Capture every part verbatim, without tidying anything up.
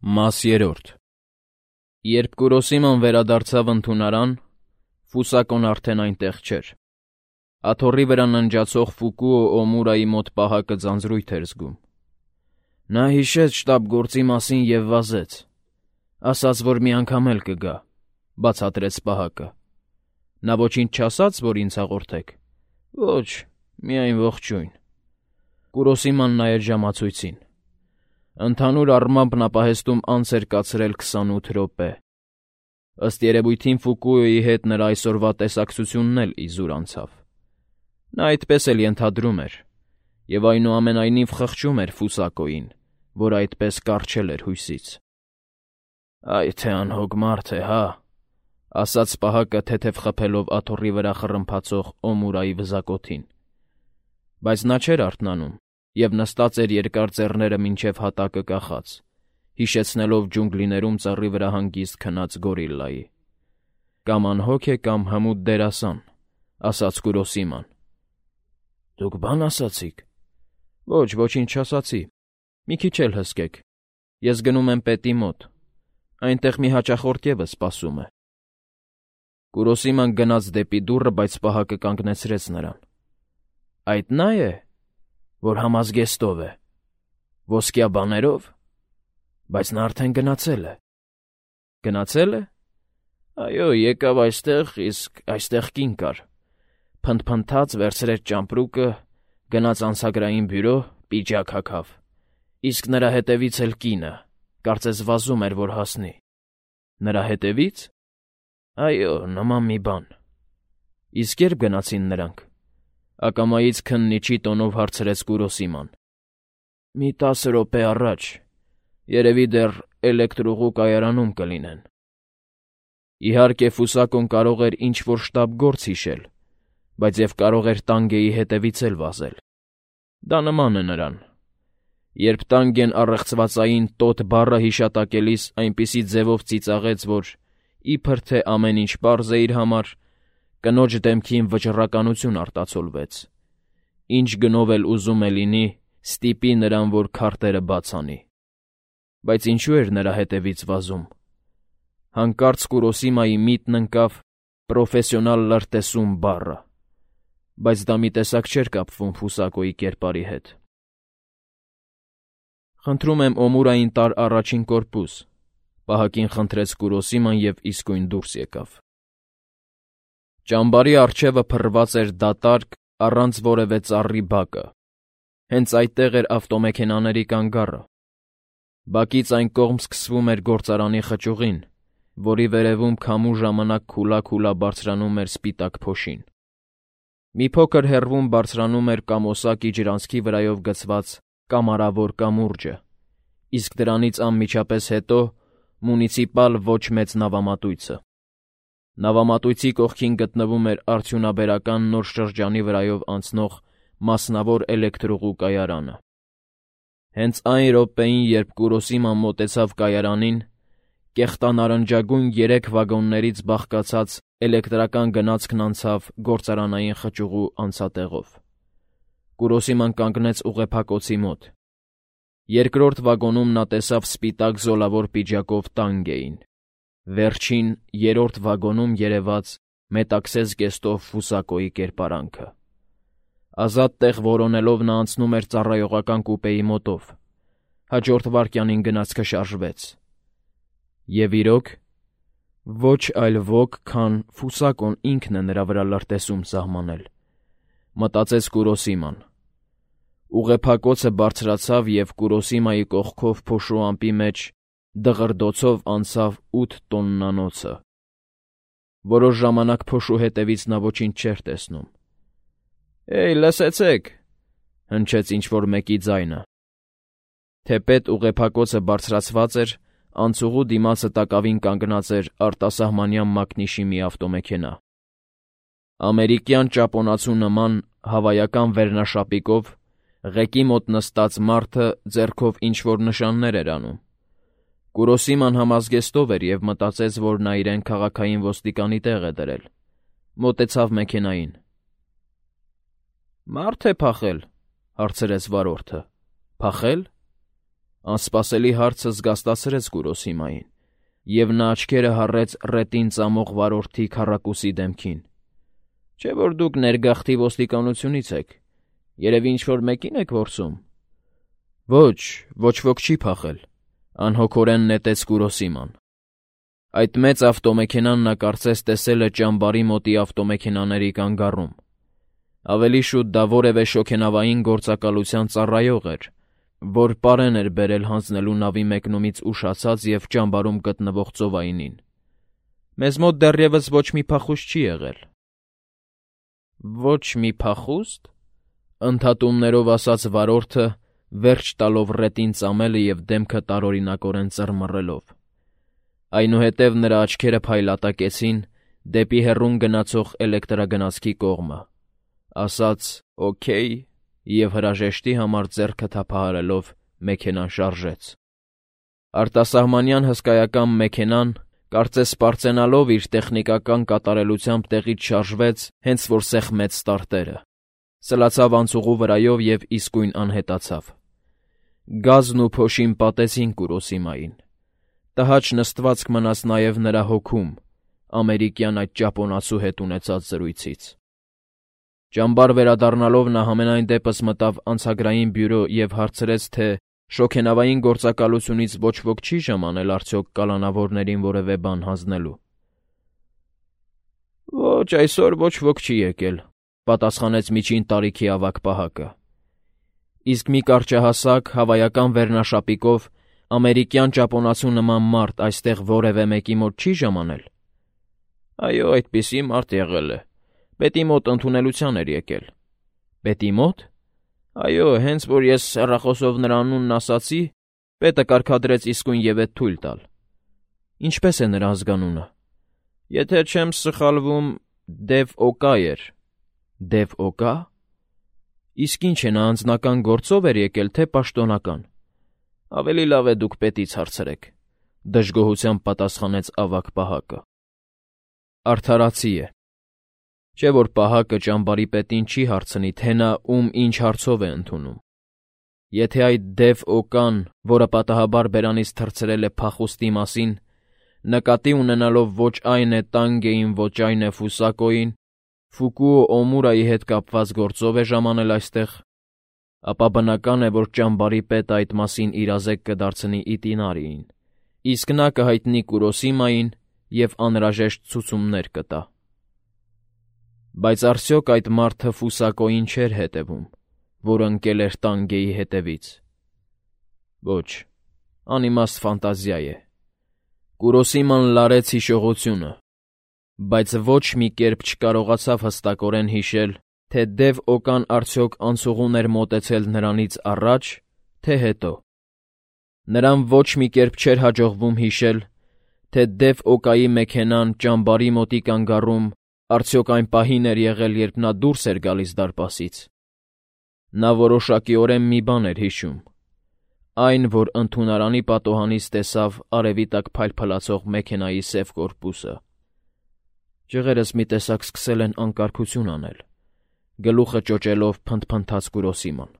Մաս երրորդ Երբ Կուրոսիման վերադարձավ ընդունարան, Ֆուսակոն արդեն այնտեղ չէր։ Աթոռի վրա ննջացող Ֆուկուո Օմուրայի մոտ պահակը ձանձրույթ էր զգում։ Նա հիշեց շտաբգործի մասին և վազեց, ասաց, որ մի անգամ էլ կգա, բացատրեց պահակը։ Նա ոչինչ չասաց, որ ինձ հաղորդեք։ Ոչ, միայն ողջույն։ Կուրոսիման նայեց ժամացույցին։ Ընդհանուր առմամբ նա պահեստում անց էր կացրել քսանութ րոպե։ Ըստ երևույթին Ֆուկուոյի հետ նրա այսօրվա տեսակցությունն էլ իզուր անցավ։ Նա այդպես էլ ենթադրում էր, և այնուամենայնիվ խղճում էր Ֆուսակոյին, որ այդպես կառչել էր հույսից։ «Այ թե անհոգ մարդ է, հա», ասաց պահակը թեթև խփելով աթոռի վրա խռմփացող Օմուրայի վզակոթին։ Բայց նա չէր արթնանում և նստած էր երկար ծեռները մինչև հատակը կախած, հիշեցնելով ջունգլիներում ծառի վրա հանգիստ քնած գորիլլայի։ «Կամ անհոգ է, կամ հմուտ դերասան», ասաց Կուրոսիման։ «Դուք բան ասացի՞ք»։ «Ոչ, ոչինչ չասացի։ Մի քիչ էլ հսկեք։ Ես գնում եմ պետի մոտ։ Այնտեղ մի հաճախորդ ևս սպասում է»։ Կուրոսիման գնաց դեպի դուռը, բայց պահակը կանգնեցրեց նրան։ «Այդ նա է, որ համազգեստով է, ոսկյա բաներով, բայց նա արդեն գնացել է»։ «Գնացել է»։ «Այո, եկավ այստեղ, իսկ այստեղ կին կար, փնթփնթաց, վերցրեց ճամպրուկը, գնաց անցագրային բյուրո, պիջակ հագավ, իսկ նրա հետևից էլ կինը, կարծես վազում էր, որ հասնի»։ «Նրա հետևի՞ց»։ «Այո, նման մի բան»։ «Իսկ ե՞րբ գնացին նրանք»։ Ակամայից քննիչի տոնով հարցրեց Կուրոսիման։ «Մի տասը րոպե առաջ, երևի դեռ էլեկտրուղու կայարանում կլինեն»։ Իհարկե, Ֆուսակոն կարող էր ինչ-որ շտապգործ հիշել, բայց և կարող էր տանգեի հետևից էլ վազել։ Դա նման է նրան։ Երբ տանգեն առեղծվածային «տոտ» բառը հիշատակելիս այնպիսի ձևով ծիծաղեց, որ, իբր թե ամեն ինչ պարզ է իր համար, կնոջ դեմքին վճռականություն արտացոլվեց։ Ինչ գնով էլ ուզում է լինի, ստիպի նրան, որ քարտերը բաց անի։ Բայց ինչու էր նրա հետևից վազում։ Հանկարծ Կուրոսիմայի միտքն ընկավ «պրոֆեսիոնալ լրտեսում» բառը, բայց դա մի տեսակ չէր կապվում Ֆուսակոյի կերպարի հետ։ «Խնդրում եմ Օմուրային տար առաջին կորպուս», պահակին խնդրեց Կուրոսիման և իսկույն դուրս եկավ։ Ճամբարի առջևը փռված էր դատարկ, առանց որևէ ծառի բակը։ Հենց այդտեղ էր ավտոմեքենաների կանգառը։ Բակից այն կողմ սկսվում էր գործարանի խճուղին, որի վերևում քամու ժամանակ քուլա-քուլա բարձրանում էր սպիտակ փոշին։ Մի փոքր հեռվում բարձրանում էր կամոսակի ջրանցքի վրայով գցված կամարավոր կամուրջը, իսկ դրանից անմիջապես հետո մունիցիպալ ոչ մեծ նավամատույցը։ Նավամատույցի կողքին գտնվում էր արդյունաբերական նոր շրջանի վրայով անցնող մասնավոր էլեկտրուղու կայարանը։ Հենց այն րոպեին, երբ Կուրոսիման մոտեցավ կայարանին, կեղտանարնջագույն երեք վագոններից բաղկացած էլեկտրական գնացքն անցավ գործարանային խճուղու անցատեղով։ Կուրոսիման կանգնեց ուղեփակոցի մոտ։ Երկրորդ վագոնում նա տեսավ սպիտակ զոլավոր պիջակով տանգեին։ Վերջին, երրորդ վագոնում երևաց մետաքսե զգեստով Ֆուսակոյի կերպարանքը։ Ազատ տեղ որոնելով նա անցնում էր ծառայողական կուպեի մոտով։ Հաջորդ վայրկյանին գնացքը շարժվեց։ Եվ իրոք, ոչ այլ ոք, քան Ֆուսակոն ինքն է նրա վրա լրտեսում սահմանել, մտածեց Կուրոսիման։ Ուղեփակոցը բարձրացավ և Կուրոսիմայի կողքով փոշու ամպի մեջ դղրդոցով անցավ ութ տոննանոցը։ Որոշ ժամանակ փոշու հետևից նա ոչինչ չէր տեսնում։ «Էյ, լսեցեք», հնչեց ինչ-որ մեկի ձայնը։ Թեպետ ուղեփակոցը բարձրացված էր, անցուղու դիմացը տակավին կանգնած էր արտասահմանյան մակնիշի մի ավտոմեքենա։ Ամերիկյան ճապոնացու նման հավայական վերնաշապիկով ղեկի մոտ նստած մարդը ձեռքով ինչ-որ նշաններ էր անում։ Կուրոսիման համազգեստով էր և մտածեց, որ նա իրեն քաղաքային ոստիկանի տեղ է դրել։ Մոտեցավ մեքենային։ «Մարդ է փախել», հարցրեց վարորդը։ «Փախել»։ Անսպասելի հարցը զգաստացրեց Կուրոսիմային, և նա աչքերը հառեց ռետին ծամող վարորդի քառակուսի դեմքին։ Չէ՞ որ դուք ներգաղթի ոստիկանությունից եք, երևի ինչ-որ մեկին եք որսում։ Ոչ, ոչ ոք չի փախել, անհոգորեն նետեց Կուրոսիման։ Այդ մեծ ավտոմեքենան նա կարծես տեսել է ճամբարի մոտի ավտոմեքենաների կանգառում։ Ավելի շուտ դա որևէ շոգենավային գործակալության ծառայող էր, որ պարեն էր բերել հանձնելու նավի մեկնումից ուշացած և ճամբարում գտնվող ծովայինին։ Մեզ մոտ դեռևս ոչ մի փախուստ չի եղել։ Ոչ մի փախուստ, ընդհատումներով ասաց վարորդը, վերջ տալով ռետին ծամելը և դեմքը տարօրինակորեն ծռմռելով։ Այնուհետև նրա աչքերը փայլատակեցին դեպի հեռուն գնացող էլեկտրագնացքի կողմը, ասաց «օքեյ» և հրաժեշտի համար ձեռքը թափահարելով մեքենան շարժեց։ Արտասահմանյան հսկայական մեքենան, կարծես պարծենալով իր տեխնիկական կատարելությամբ տեղից շարժվեց, հենց որ սեղմեց ստարտերը, սլացավ անցուղու վրայով և իսկույն անհետացավ։ Գազն ու փոշին պատեցին Կուրոսիմային։ Տհաճ նստվածք մնաց նաև նրա հոգում ամերիկյան այդ ճապոնացու հետ ունեցած զրույցից։ Ճամբար վերադառնալով նա համենայն դեպս մտավ անցագրային բյուրո և հարցրեց, թե շոգենավային գործակալությունից ոչ ոք չի ժամանել արդյոք կալանավորներին որևէ բան հանձնելու։ Ոչ, այսօր ոչ ոք չի եկել, պատասխանեց միջին տարիքի ավագ պահակը։ Իսկ մի կարճահասակ, հավայական վերնաշապիկով ամերիկյան ճապոնացու նման մարդ այստեղ որևէ մեկի մոտ չի ժամանել։ Այո, այդպիսի մարդ եղել է։ Պետի մոտ ընդունելության էր եկել։ Պետի մոտ։ Այո, հենց որ ես հեռախոսով նրա անունն ասացի, պետը կարգադրեց իսկույն և էդ թույլ տալ։ Ինչպե՞ս է նրա ազգանունը։ Եթե չեմ սխալվում, Դև Օկա էր։ Դև Օկա։ Իսկ ինչ է նա անձնական գործով էր եկել, թե պաշտոնական։ Ավելի լավ է դուք պետից հարցրեք, դժգոհությամբ պատասխանեց ավագ պահակը։ Արդարացի է։ Չէ՞ որ պահակը ճամբարի պետին չի հարցնի, թե նա ում ինչ հարցով է ընդունում։ Եթե այդ Դև Օկան, որը պատահաբար բերանից թռցրել է փախուստի մասին, նկատի ունենալով ոչ այն է Տանգեին, ոչ այն է Ֆուսակոյին, Ֆուկուո Օմուրայի հետ կապված գործով է ժամանել այստեղ, ապա բնական է, որ ճամբարի պետը այդ մասին իրազեկ կդարձնի Իտինարիին, իսկ նա կհայտնի Կուրոսիմային և անհրաժեշտ ցուցումներ կտա։ Բայց արդյոք այդ մարդը Ֆուսակոյին չէր հետևում, որ ընկել էր Տանգեի հետևից։ Ոչ, անիմաստ ֆանտազիա է։ Կուրոսիման լարեց հիշողությունը, բայց ոչ մի կերպ չկարողացավ հստակորեն հիշել, թե Դև Օկան արդյոք անցուղուն էր մոտեցել նրանից առաջ, թե հետո։ Նրան ոչ մի կերպ չէր հաջողվում հիշել, թե Դև Օկայի մեքենան ճամբարի մոտի կանգառում արդյոք այն պահին էր եղել, երբ նա դուրս էր գալիս դարպասից։ Նա որոշակիորեն մի բան էր հիշում. այն, որ ընդունարանի պատոհանից տեսավ արևի տակ փայլփլացող մեքենայի սև կորպուսը։ Ջղերս մի տեսակ սկսել են անկարգություն անել, գլուխը ճոճելով փնթփնթաց Կուրոսիման։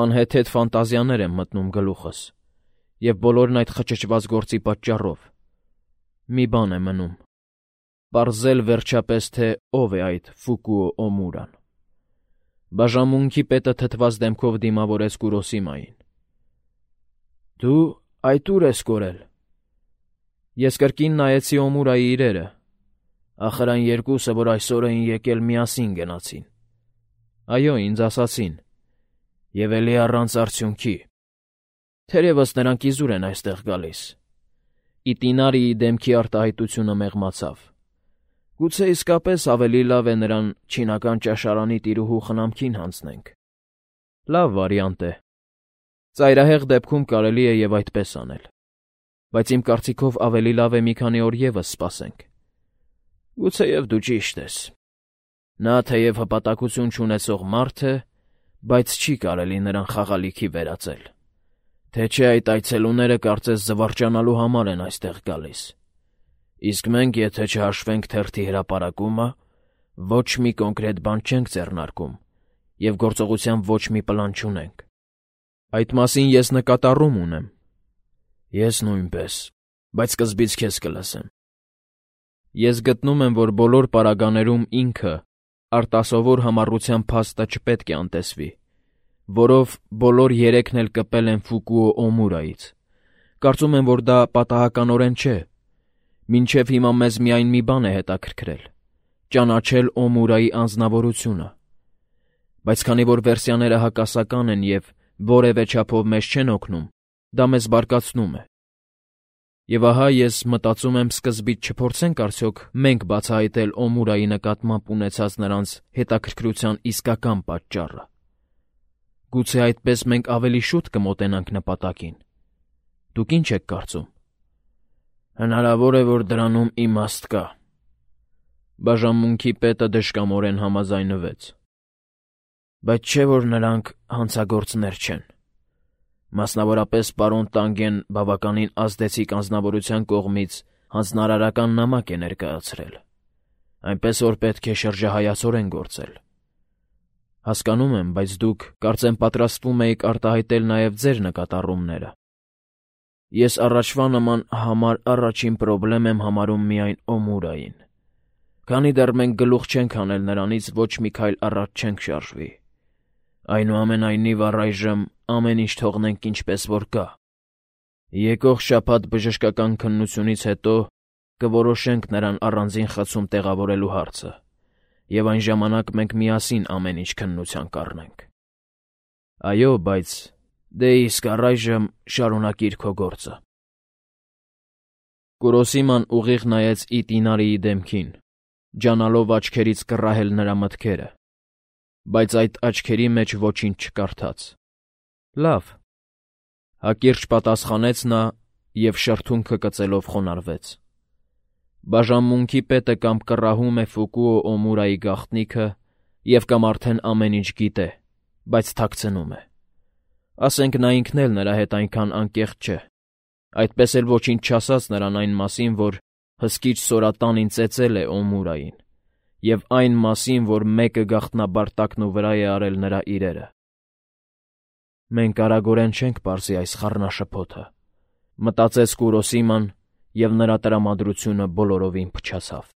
Անհեթեթ ֆանտազիաներ եմ մտնում գլուխս, և բոլորն այդ խճճված գործի պատճառով։ Մի բան է մնում. պարզել վերջապես, թե ով է այդ Ֆուկուո Օմուրան։ Բաժանմունքի պետը թթված դեմքով դիմավորեց Կուրոսիմային։ Դու այդ ուր ես կորել։ Ես կրկին նայեցի Օմուրայի իրերը։ Ախր այն երկուսը, որ այսօր էին եկել, միասին գնացին։ Այո, ինձ ասացին։ Եվ էլի առանց արդյունքի։ Թերևս նրանք իզուր են այստեղ գալիս։ Իտինարիի դեմքի արտահայտությունը մեղմացավ։ Գուցե իսկապես ավելի լավ է նրան չինական ճաշարանի տիրուհու խնամքին հանձնենք։ Լավ վարիանտ է։ Ծայրահեղ դեպքում կարելի է և այդպես անել։ Բայց իմ կարծիքով ավելի լավ է մի քանի օր ևս սպասենք։ Գուցեև դու ճիշտ ես։ Նա թեև հպատակություն չունեցող մարդ է, բայց չի կարելի նրան խաղալիքի վերածել։ Թե չէ այդ այցելուները կարծես զվարճանալու համար են այստեղ գալիս։ Իսկ մենք, եթե չհաշվենք թերթի հրապարակումը, ոչ մի կոնկրետ բան չենք ձեռնարկում և գործողության ոչ մի պլան չունենք։ Այդ մասին ես նկատառում ունեմ։ Ես նույնպես, բայց սկզբից քեզ կլսեմ։ Ես գտնում եմ, որ բոլոր պարագաներում ինքը, արտասովոր համառության փաստը չպետք է անտեսվի, որով բոլոր երեքն էլ կպել են Ֆուկուո Օմուրայից։ Կարծում եմ, որ դա պատահականորեն չէ։ Մինչև հիմա մեզ միայն մի բան է հետաքրքրել՝ ճանաչել Օմուրայի անձնավորությունը։ Բայց քանի որ վերսիաները հակասական են և որևէ չափով մեզ չեն օգնում, դա մեզ բարկացնում է։ Եվ ահա ես մտածում եմ սկզբից չփորձենք արդյոք մենք բացահայտել Օմուրայի նկատմամբ ունեցած նրանց հետաքրքրության իսկական պատճառը։ Գուցե այդպես մենք ավելի շուտ կմոտենանք նպատակին։ Դուք ինչ եք կարծում։ Հնարավոր է, որ դրանում իմաստ կա։ Բաժանմունքի պետը դժկամորեն համաձայնվեց։ Բայց չէ՞ որ նրանք հանցագործներ չեն։ Մասնավորապես պարոն Տանգեն բավականին ազդեցիկ անձնավորության կողմից հանձնարարական նամակ է ներկայացրել, այնպես որ պետք է շրջահայացորեն գործել։ Հասկանում եմ, բայց դուք կարծեմ պատրաստվում եք արտահայտել նաև ձեր նկատառումները։ Ես առաջվա նման համար առաջին պրոբլեմ եմ համարում միայն Օմուրային։ Քանի դեռ մենք գլուխ չենք հանել նրանից, ոչ մի քայլ առաջ չենք շարժվի։ Այնուամենայնիվ առայժմ ամեն ինչ թողնենք ինչպես որ կա։ Եկող շաբաթ բժշկական քննությունից հետո կորոշենք նրան առանձին խցում տեղավորելու հարցը, և այն ժամանակ մենք միասին ամեն ինչ քննության կառնենք։ Այո, բայց դե իսկ առայժմ շարունակիր քո գործը։ Կուրոսիման ուղիղ նայեց Իտինարիի դեմքին, ջանալով աչքերից կռահել նրա մտքերը, բայց այդ աչքերի մեջ ոչինչ չկարդաց։ Լավ, հակիրճ պատասխանեց նա և շրթունքը կծելով խոնարհվեց։ Բաժանմունքի պետը կամ կռահում է Ֆուկուո Օմուրայի գաղտնիքը և կամ արդեն ամեն ինչ գիտե, բայց թաքցնում է։ Ասենք նա ինքն էլ նրա հետ այնքան անկեղծ չէ, այդպես էլ ոչինչ չասաց նրան այն մասին, որ հսկիչ սորատանին ծեծել է Օմուրային, և այն մասին, որ մեկը գաղտնաբար տակնու վրա է արել նրա իրերը։ Մենք արագորեն չենք պարզի այս խառնաշփոթը, մտածեց Կուրոսիման, և նրա տրամադրությունը բոլորովին փչացավ։